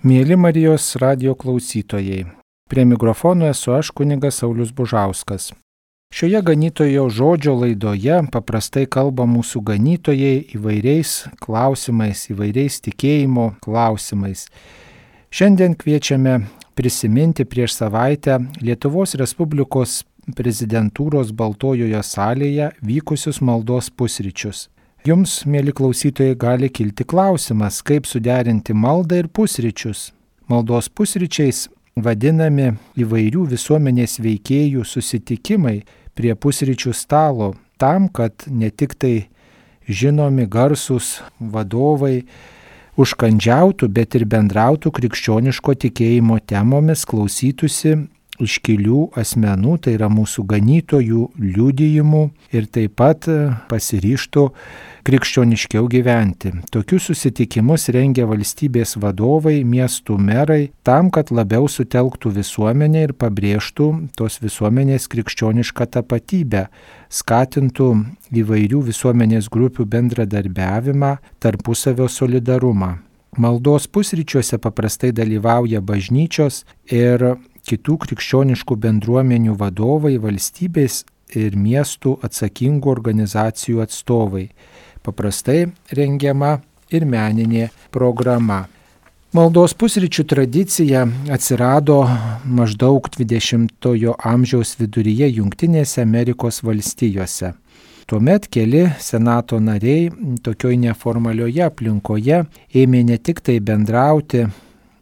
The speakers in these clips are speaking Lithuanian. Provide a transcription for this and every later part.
Mieli Marijos radijo klausytojai, prie mikrofono esu aš kunigas Saulius Bužauskas. Šioje ganytojo žodžio laidoje paprastai kalba mūsų ganytojai įvairiais klausimais, įvairiais tikėjimo klausimais. Šiandien kviečiame prisiminti prieš savaitę Lietuvos Respublikos prezidentūros Baltojoje salėje vykusius maldos pusryčius. Jums, mėly klausytojai, gali kilti klausimas, kaip suderinti maldą ir pusryčius. Maldos pusryčiais vadinami įvairių visuomenės veikėjų susitikimai prie pusryčių stalo, tam, kad ne tik tai žinomi garsūs vadovai užkandžiautų, bet ir bendrautų krikščioniško tikėjimo temomis, klausytųsi iškilių asmenų, tai yra mūsų ganytojų liudijimų ir taip pat pasiryžtų krikščioniškiau gyventi. Tokius susitikimus rengia valstybės vadovai, miestų merai, tam, kad labiau sutelktų visuomenę ir pabrėžtų tos visuomenės krikščionišką tapatybę, skatintų įvairių visuomenės grupių bendradarbiavimą, tarpusavio solidarumą. Maldos pusryčiuose paprastai dalyvauja bažnyčios ir kitų krikščioniškų bendruomenių vadovai, valstybės ir miestų atsakingų organizacijų atstovai. Paprastai rengiama ir meninė programa. Maldos pusryčių tradicija atsirado maždaug 20-ojo amžiaus viduryje Jungtinėse Amerikos valstijose. Tuomet keli senato nariai tokioj neformalioje aplinkoje ėmė ne tik tai bendrauti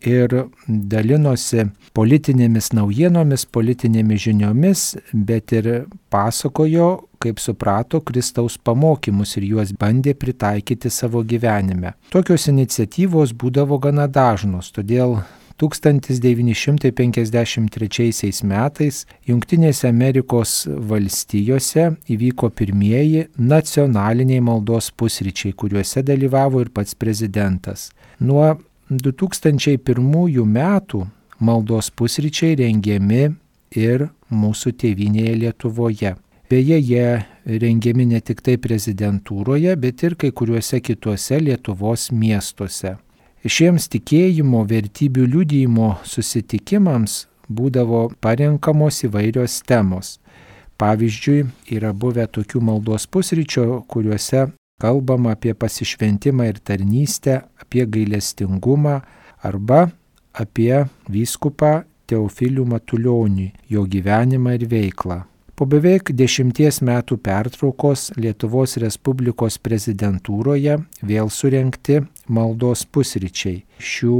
ir dalinosi politinėmis naujienomis, politinėmis žiniomis, bet ir pasakojo, kaip suprato, Kristaus pamokymus ir juos bandė pritaikyti savo gyvenime. Tokios iniciatyvos būdavo gana dažnos, todėl 1953 metais Jungtinėse Amerikos valstijose įvyko pirmieji nacionaliniai maldos pusryčiai, kuriuose dalyvavo ir pats prezidentas. Nuo 2001 metų maldos pusryčiai rengiami ir mūsų tėvynėje Lietuvoje. Beje, jie rengiami ne tik tai prezidentūroje, bet ir kai kuriuose kituose Lietuvos miestuose. Šiems tikėjimo vertybių liudijimo susitikimams būdavo parenkamos įvairios temos. Pavyzdžiui, yra buvę tokių maldos pusryčių, kuriuose kalbama apie pasišventimą ir tarnystę, apie gailestingumą arba apie vyskupą Teofilių Matulionį, jo gyvenimą ir veiklą. Po beveik 10 metų pertraukos Lietuvos Respublikos prezidentūroje vėl surengti maldos pusryčiai. Šių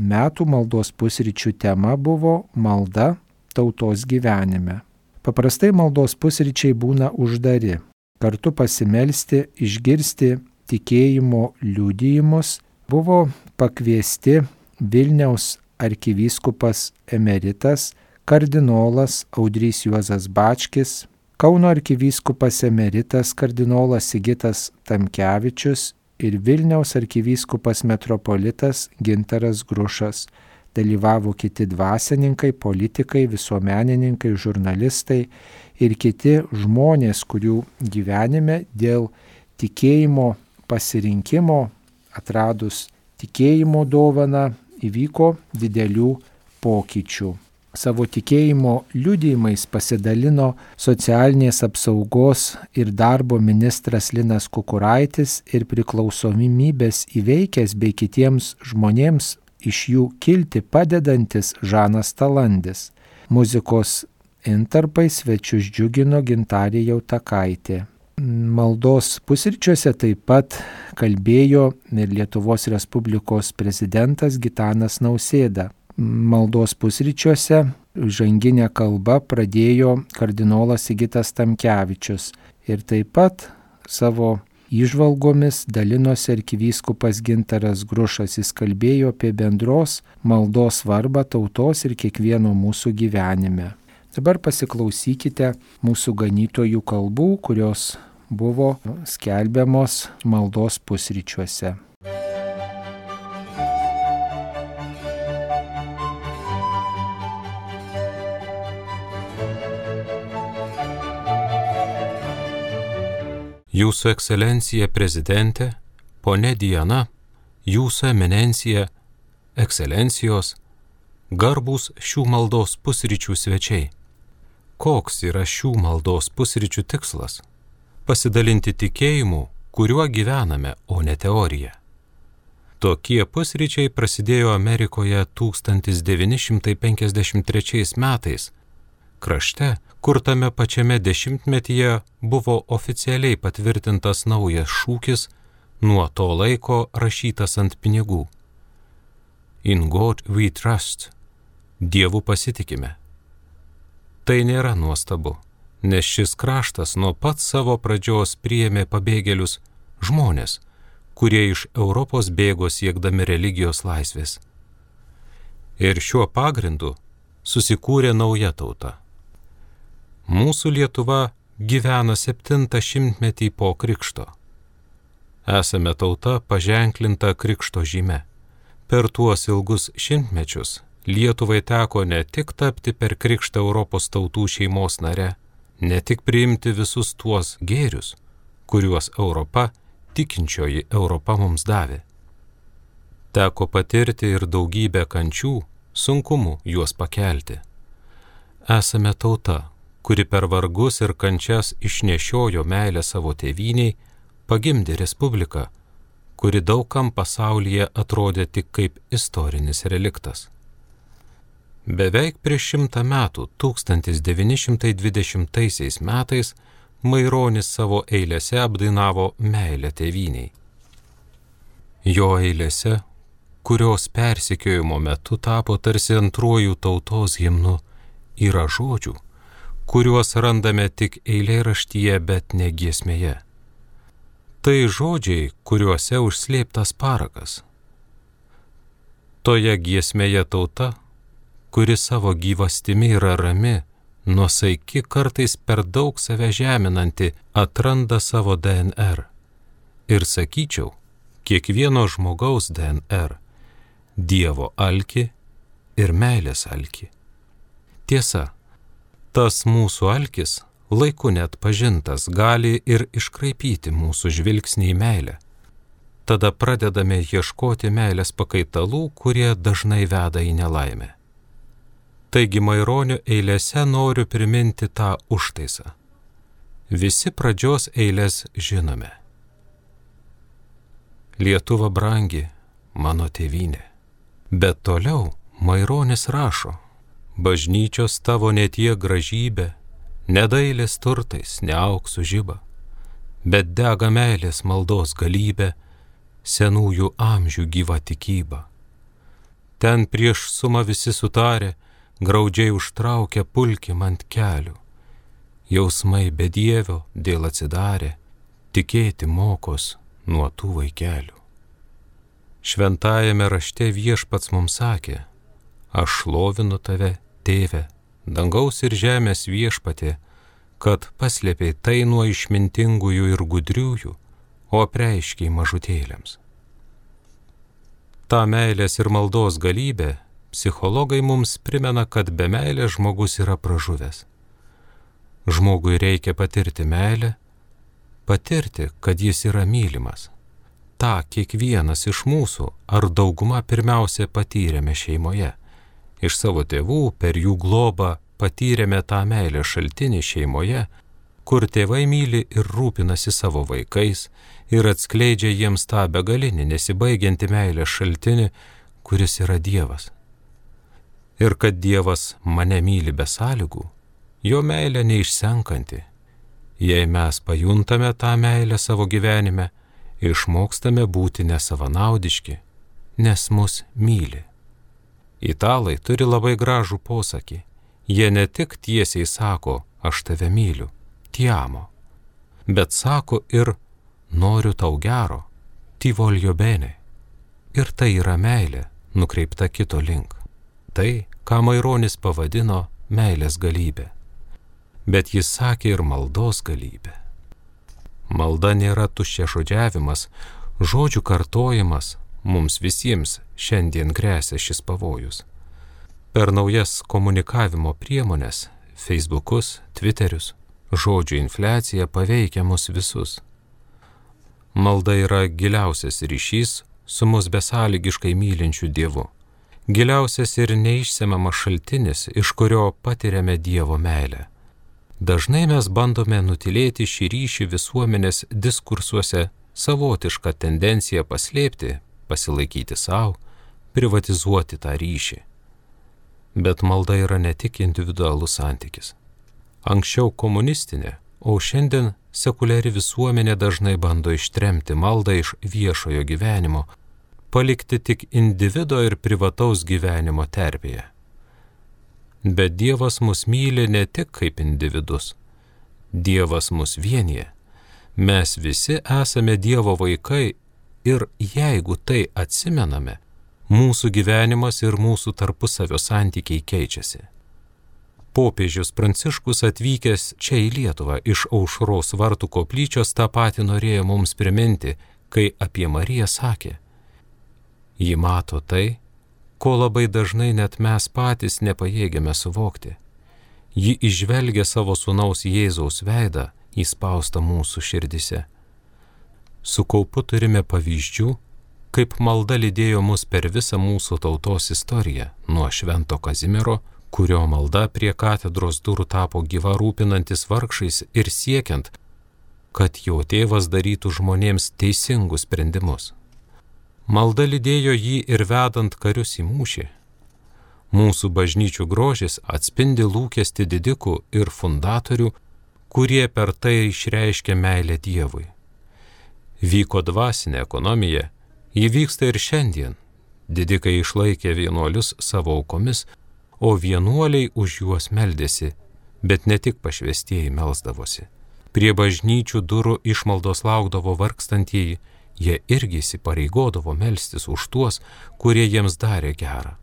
metų maldos pusryčių tema buvo malda tautos gyvenime. Paprastai maldos pusryčiai būna uždari. Kartu pasimelsti, išgirsti tikėjimo liudijimus buvo pakviesti Vilniaus arkivyskupas emeritas kardinolas Audrys Juozas Bačkis, Kauno arkivyskupas emeritas kardinolas Sigitas Tamkevičius ir Vilniaus arkivyskupas metropolitas Gintaras Grušas. Dalyvavo kiti dvasininkai, politikai, visuomenininkai, žurnalistai ir kiti žmonės, kurių gyvenime dėl tikėjimo pasirinkimo, atradus tikėjimo dovaną, įvyko didelių pokyčių. Savo tikėjimo liudijimais pasidalino socialinės apsaugos ir darbo ministras Linas Kukuraitis ir priklausomybės įveikęs bei kitiems žmonėms iš jų kilti padedantis Žanas Talandis. Muzikos intarpai svečius džiugino Gintarė Jautakaitė. Maldos pusryčiuose taip pat kalbėjo ir Lietuvos Respublikos prezidentas Gitanas Nausėda. Maldos pusryčiuose žanginę kalbą pradėjo kardinolas Sigitas Tamkevičius ir taip pat savo įžvalgomis dalinosi arkivyskupas Gintaras Grušas. Jis kalbėjo apie bendros maldos svarbą tautos ir kiekvieno mūsų gyvenime. Dabar pasiklausykite mūsų ganytojų kalbų, kurios buvo skelbiamos maldos pusryčiuose. Jūsų ekscelencija prezidentė, ponė Diana, Jūsų eminencija, ekscelencijos, garbūs šių maldos pusryčių svečiai. Koks yra šių maldos pusryčių tikslas? Pasidalinti tikėjimu, kuriuo gyvename, o ne teorija. Tokie pusryčiai prasidėjo Amerikoje 1953 metais, krašte, kur tame pačiame dešimtmetyje buvo oficialiai patvirtintas naujas šūkis, nuo to laiko rašytas ant pinigų. In God we trust. Dievu pasitikime. Tai nėra nuostabu, nes šis kraštas nuo pat savo pradžios priėmė pabėgėlius, žmonės, kurie iš Europos bėgo siekdami religijos laisvės. Ir šiuo pagrindu susikūrė nauja tauta. Mūsų Lietuva gyvena 700-metį po krikšto. Esame tauta paženklinta krikšto žyme. Per tuos ilgus šimtmečius Lietuvai teko ne tik tapti per krikštą Europos tautų šeimos nare, ne tik priimti visus tuos gėrius, kuriuos Europa, tikinčioji Europa mums davė. Teko patirti ir daugybę kančių, sunkumų juos pakelti. Esame tauta, kuri per vargus ir kančias išnešiojo meilę savo tėvyniai, pagimdė respubliką, kuri daugam pasaulyje atrodė tik kaip istorinis reliktas. Beveik prieš 100 metų, 1920 metais, Maironis savo eilėse apdainavo meilę tėvyniai. Jo eilėse, kurios persekiojimo metu tapo tarsi antruoju tautos himnu, yra žodžių, kuriuos randame tik eilėraštyje, bet ne giesmėje. Tai žodžiai, kuriuose užslėptas parakas. Toje giesmėje tauta, kuri savo gyvastimi yra rami, nuosaiki, kartais per daug save žeminanti, atranda savo DNR. Ir sakyčiau, kiekvieno žmogaus DNR – Dievo alkį ir meilės alkį. Tiesa, tas mūsų alkis, laiku net pažintas, gali ir iškraipyti mūsų žvilgsnį į meilę. Tada pradedame ieškoti meilės pakaitalų, kurie dažnai veda į nelaimę. Taigi Maironio eilėse noriu priminti tą užtaisą. Visi pradžios eilės žinome. Lietuva brangi, mano tėvynė. Bet toliau Maironis rašo: bažnyčios tavo netie gražybė, nedailės turtais, ne auksų žiba, bet dega meilės maldos galybė, senųjų amžių gyva tikyba. Ten prieš sumą visi sutarė, graudžiai užtraukė pulkim ant kelių. Jausmai bedievio dėl atsidarė, tikėti mokos nuo tų vaikelių. Šventajame rašte Viešpats mums sakė: aš šlovinu tave, tėve, dangaus ir žemės viešpatie, kad paslėpei tai nuo išmintingųjų ir gudriųjų, o apreiškei mažutėliams. Ta meilės ir maldos galybė psichologai mums primena, kad be meilės žmogus yra pražuvęs. Žmogui reikia patirti meilę, patirti, kad jis yra mylimas. Ta kiekvienas iš mūsų ar dauguma pirmiausia patyrėme šeimoje. Iš savo tėvų per jų globą patyrėme tą meilę šaltinį šeimoje, kur tėvai myli ir rūpinasi savo vaikais ir atskleidžia jiems tą begalinį, nesibaigiantį meilę šaltinį, kuris yra Dievas. Ir kad Dievas mane myli be sąlygų, jo meilė neišsenkanti. Jei mes pajuntame tą meilę savo gyvenime, išmokstame būti nesavanaudiški, nes mus myli. Italai turi labai gražų posakį. Jie ne tik tiesiai sako, aš tave myliu, ti amo, bet sako ir noriu tau gero, ti voglio bene. Ir tai yra meilė, nukreipta kito link. Tai, ką Maironis pavadino meilės galybė. Bet jis sakė ir maldos galybė. Malda nėra tuščiažodžiavimas, žodžių kartojimas, mums visiems šiandien gresia šis pavojus. Per naujas komunikavimo priemonės, Facebookus, Twitterius, žodžių infliacija paveikia mus visus. Malda yra giliausias ryšys su mus besąlygiškai mylinčiu Dievu. giliausias ir neišsemiamas šaltinis, iš kurio patiriame Dievo meilę. Dažnai mes bandome nutilėti šį ryšį visuomenės diskursuose, savotišką tendenciją paslėpti, pasilaikyti savo, privatizuoti tą ryšį. Bet malda yra ne tik individualus santykis. Anksčiau komunistinė, o šiandien sekuliari visuomenė dažnai bando ištremti maldą iš viešojo gyvenimo, palikti tik individo ir privataus gyvenimo terpėje. Bet Dievas mus myli ne tik kaip individus. Dievas mus vienyje. Mes visi esame Dievo vaikai ir jeigu tai atsimename, mūsų gyvenimas ir mūsų tarpusavio santykiai keičiasi. Popiežius Pranciškus atvykęs čia į Lietuvą iš Aušros vartų koplyčios tą patį norėjo mums priminti, kai apie Mariją sakė: ji mato tai, ko labai dažnai net mes patys nepajėgiame suvokti. Ji įžvelgia savo sūnaus Jėzaus veidą įspaustą mūsų širdise. Su kaupu turime pavyzdžių, kaip malda lydėjo mus per visą mūsų tautos istoriją, nuo Švento Kazimiero, kurio malda prie katedros durų tapo gyva rūpinantis vargšais ir siekiant, kad jo tėvas darytų žmonėms teisingus sprendimus. Malda lydėjo jį ir vedant karius į mūšį. Mūsų bažnyčių grožis atspindi lūkestį didikų ir fundatorių, kurie per tai išreiškia meilę Dievui. Vyko dvasinė ekonomija, ji vyksta ir šiandien. Didikai išlaikė vienuolius savo aukomis, o vienuoliai už juos meldėsi, bet ne tik pašvestieji melsdavosi. Prie bažnyčių durų išmaldos laukdavo vargstantieji, jie irgi įsipareigodavo melstis už tuos, kurie jiems darė gerą.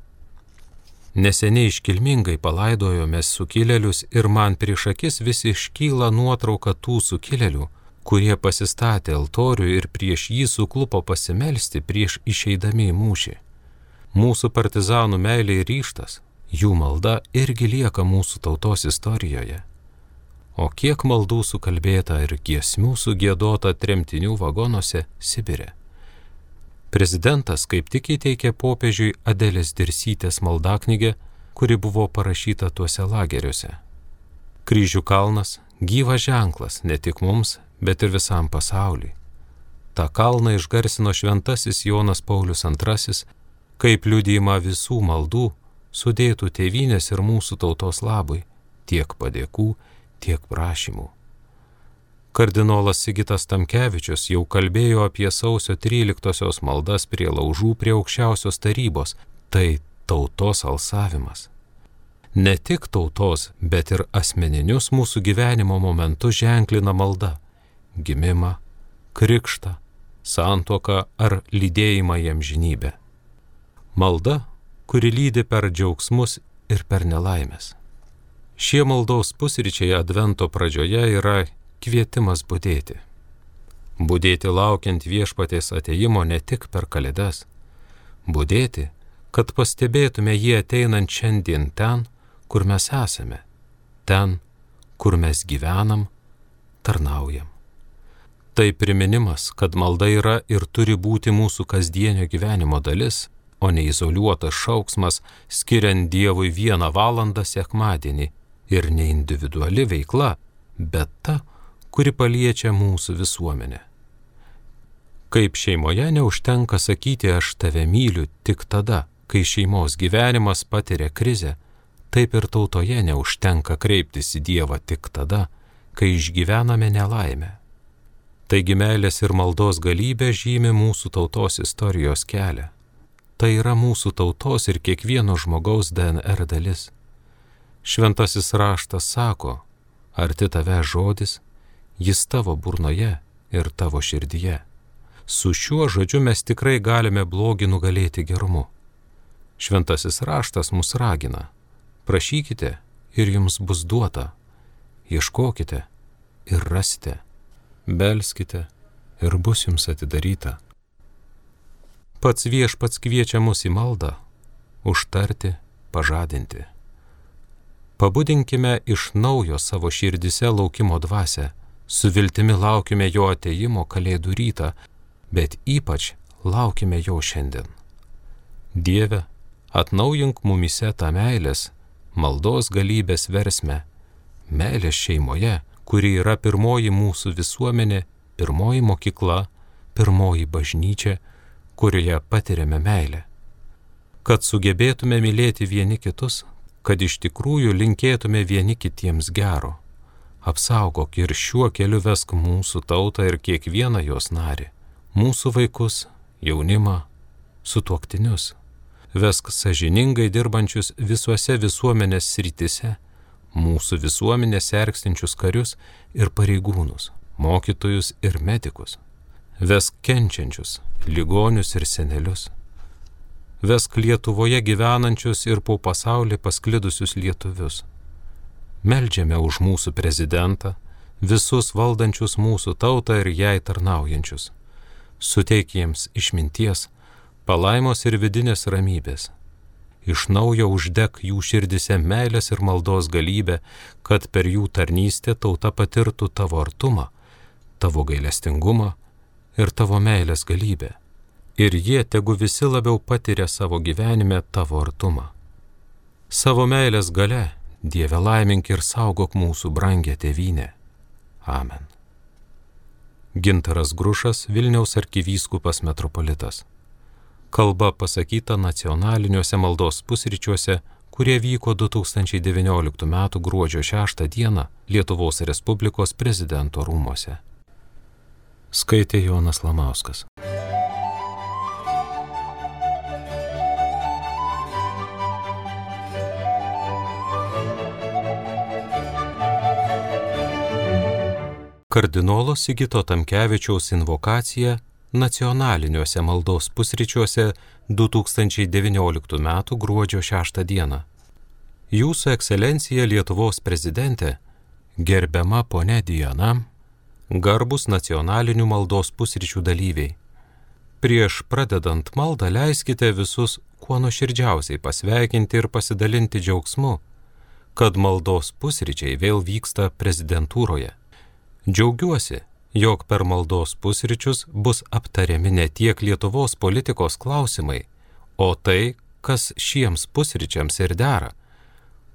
Neseniai iškilmingai palaidojome sukilėlius ir man prieš akis vis iškyla nuotrauka tų sukilėlių, kurie pasistatė altorių ir prieš jį suklupo pasimelsti prieš išeidami į mūšį. Mūsų partizanų meilė ir ryžtas, jų malda irgi lieka mūsų tautos istorijoje. O kiek maldų sukalbėta ir giesmių sugiedota tremtinių vagonuose Sibire. Prezidentas kaip tik įteikė popiežiui Adelės Dirsytės maldaknygę, kuri buvo parašyta tuose lageriuose. Kryžių kalnas – gyvas ženklas ne tik mums, bet ir visam pasauliui. Ta kalną išgarsino šventasis Jonas Paulius II, kaip liudijimą visų maldų, sudėtų tėvynės ir mūsų tautos labui, tiek padėkų, tiek prašymų. Kardinolas Sigitas Tamkevičius jau kalbėjo apie sausio 13-osios maldas prie laužų prie aukščiausios tarybos, tai tautos alsavimas. Ne tik tautos, bet ir asmeninius mūsų gyvenimo momentus ženklina malda – gimimą, krikštą, santuoką ar lydėjimą į amžinybę. Malda, kuri lydi per džiaugsmus ir per nelaimės. Šie maldos pusryčiai advento pradžioje yra kvietimas budėti. Budėti laukiant viešpaties atėjimo ne tik per kalėdas. Budėti, kad pastebėtume jį ateinant šiandien ten, kur mes esame, ten, kur mes gyvenam, tarnaujam. Tai priminimas, kad malda yra ir turi būti mūsų kasdienio gyvenimo dalis, o ne izoliuotas šauksmas, skiriant Dievui 1 valandą sekmadienį ir ne individuali veikla, bet ta, kuri paliečia mūsų visuomenę. Kaip šeimoje neužtenka sakyti aš tave myliu tik tada, kai šeimos gyvenimas patiria krizę, taip ir tautoje neužtenka kreiptis į Dievą tik tada, kai išgyvename nelaimę. Taigi meilės ir maldos galybė žymi mūsų tautos istorijos kelią. Tai yra mūsų tautos ir kiekvieno žmogaus DNR dalis. Šventasis raštas sako, arti tave žodis, jis tavo burnoje ir tavo širdyje. Su šiuo žodžiu mes tikrai galime blogį nugalėti gerumu. Šventasis raštas mus ragina, prašykite ir jums bus duota, ieškokite ir rasite, belskite ir bus jums atidaryta. Pats viešpats kviečia mus į maldą, užtarti, pažadinti. Pabudinkime iš naujo savo širdise laukimo dvasią, su viltimi laukime jo atėjimo kalėdų rytą, bet ypač laukime jo šiandien. Dieve, Atnaujink mumyse tą meilės, maldos galybės versmę, meilės šeimoje, kuri yra pirmoji mūsų visuomenė, pirmoji mokykla, pirmoji bažnyčia, kurioje patiriame meilę. Kad sugebėtume mylėti vieni kitus, kad iš tikrųjų linkėtume vieni kitiems gero. Apsaugok ir šiuo keliu vesk mūsų tautą ir kiekvieną jos narį, mūsų vaikus, jaunimą, sutuoktinius. Vesk sąžiningai dirbančius visuose visuomenės srityse, mūsų visuomenės sergstinčius karius ir pareigūnus, mokytojus ir medikus. Vesk kenčiančius, ligonius ir senelius. Vesk Lietuvoje gyvenančius ir po pasaulį pasklidusius lietuvius. Meldžiame už mūsų prezidentą, visus valdančius mūsų tautą ir jai tarnaujančius. Suteik jiems išminties, palaimos ir vidinės ramybės. Iš naujo uždek jų širdise meilės ir maldos galybę, kad per jų tarnystę tauta patirtų tavo artumą, tavo gailestingumą ir tavo meilės galybę. Ir jie tegu visi labiau patiria savo gyvenime tavo artumą. Savo meilės gale, Dieve, laimink ir saugok mūsų brangę tėvynę. Amen. Gintaras Grušas, Vilniaus arkivyskupas metropolitas. Kalba pasakyta nacionaliniuose maldos pusryčiuose, kurie vyko 2019 m. gruodžio 6 d. Lietuvos Respublikos prezidento rūmuose. Skaitė Jonas Lamauskas. Kardinolo Sigito Tamkevičiaus invokacija nacionaliniuose maldos pusryčiuose 2019 m. gruodžio 6 d. Jūsų ekscelencija Lietuvos prezidentė, gerbiama ponia Diana, garbus nacionalinių maldos pusryčių dalyviai. Prieš pradedant maldą leiskite visus kuo nuoširdžiausiai pasveikinti ir pasidalinti džiaugsmu, kad maldos pusryčiai vėl vyksta prezidentūroje. Džiaugiuosi, jog per maldos pusryčius bus aptariami ne tiek Lietuvos politikos klausimai, o tai, kas šiems pusryčiams ir dera,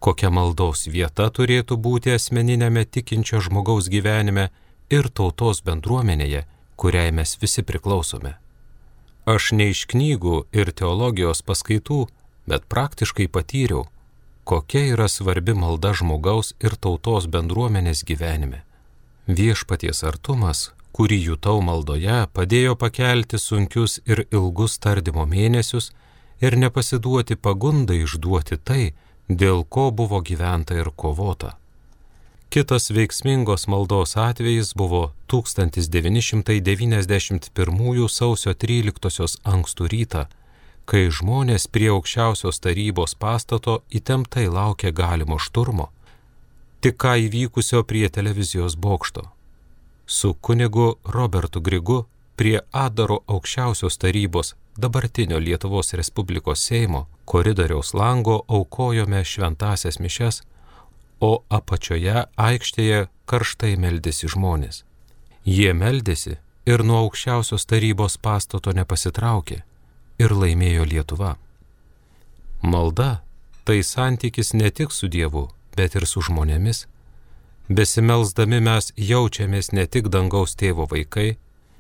kokia maldos vieta turėtų būti asmeninėme tikinčio žmogaus gyvenime ir tautos bendruomenėje, kuriai mes visi priklausome. Aš ne iš knygų ir teologijos paskaitų, bet praktiškai patyriau, kokia yra svarbi malda žmogaus ir tautos bendruomenės gyvenime. Viešpaties artumas, kurį jutau maldoje, padėjo pakelti sunkius ir ilgus tardymo mėnesius ir nepasiduoti pagundai išduoti tai, dėl ko buvo gyventa ir kovota. Kitas veiksmingos maldos atvejis buvo 1991 sausio 13 ankstų rytą, kai žmonės prie aukščiausios tarybos pastato įtemptai laukė galimo šturmo, tik ką įvykusio prie televizijos bokšto. Su kunigu Robertu Grigu prie Adaro aukščiausios tarybos dabartinio Lietuvos Respublikos Seimo koridoriaus lango aukojome šventąsias mišias, o apačioje aikštėje karštai meldėsi žmonės. Jie meldėsi ir nuo aukščiausios tarybos pastato nepasitraukė ir laimėjo Lietuva. Malda – tai santykis ne tik su Dievu, bet ir su žmonėmis. Besimelsdami mes jaučiamės ne tik dangaus tėvo vaikai,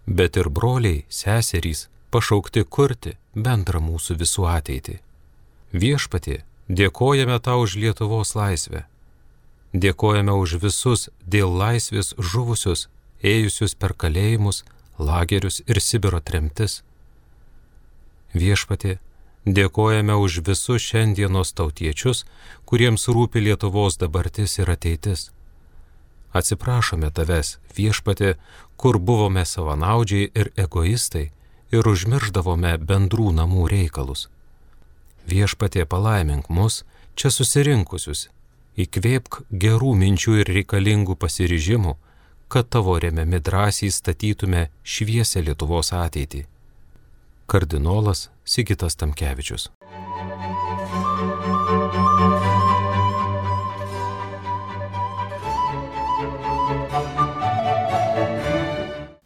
bet ir broliai, seserys, pašaukti kurti bendrą mūsų visų ateitį. Viešpatie, dėkojame tau už Lietuvos laisvę. Dėkojame už visus dėl laisvės žuvusius, ėjusius per kalėjimus, lagerius ir Sibiro tremtis. Viešpatie, dėkojame už visus šiandienos tautiečius, kuriems rūpi Lietuvos dabartis ir ateitis. Atsiprašome tavęs, viešpatie, kur buvome savanaudžiai ir egoistai ir užmirždavome bendrų namų reikalus. Viešpatie, palaimink mus, čia susirinkusius, įkvėpk gerų minčių ir reikalingų pasiryžimų, kad tavo remiami drąsiai statytume šviesią Lietuvos ateitį. Kardinolas Sigitas Tamkevičius.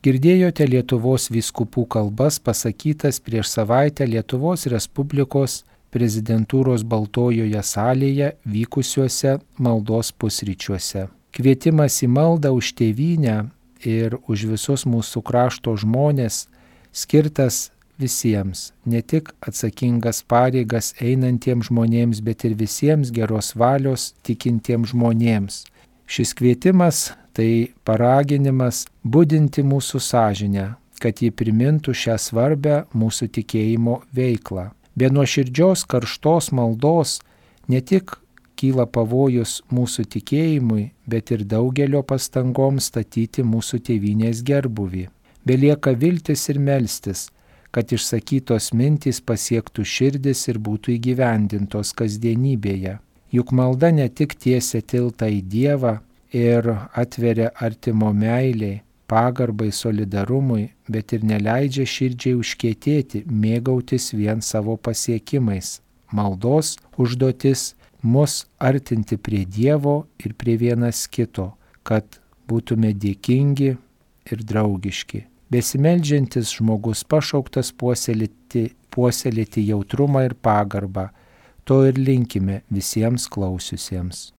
Girdėjote Lietuvos vyskupų kalbas pasakytas prieš savaitę Lietuvos Respublikos prezidentūros Baltojoje salėje vykusiuose maldos pusryčiuose. Kvietimas į maldą už tėvynę ir už visus mūsų krašto žmonės skirtas visiems, ne tik atsakingas pareigas einantiems žmonėms, bet ir visiems geros valios tikintiems žmonėms. Šis kvietimas tai paraginimas budinti mūsų sąžinę, kad ji primintų šią svarbę mūsų tikėjimo veiklą. Be nuoširdžios karštos maldos ne tik kyla pavojus mūsų tikėjimui, bet ir daugelio pastangoms statyti mūsų tėvynės gerbuvį. Belieka viltis ir melstis, kad išsakytos mintys pasiektų širdis ir būtų įgyvendintos kasdienybėje. Juk malda ne tik tiesia tiltą į Dievą ir atveria artimo meiliai, pagarbai, solidarumui, bet ir neleidžia širdžiai užkietėti, mėgautis vien savo pasiekimais. Maldos užduotis mus artinti prie Dievo ir prie vienas kito, kad būtume dėkingi ir draugiški. Besimeldžiantis žmogus pašauktas puoselėti jautrumą ir pagarbą. To ir linkime visiems klausiusiems.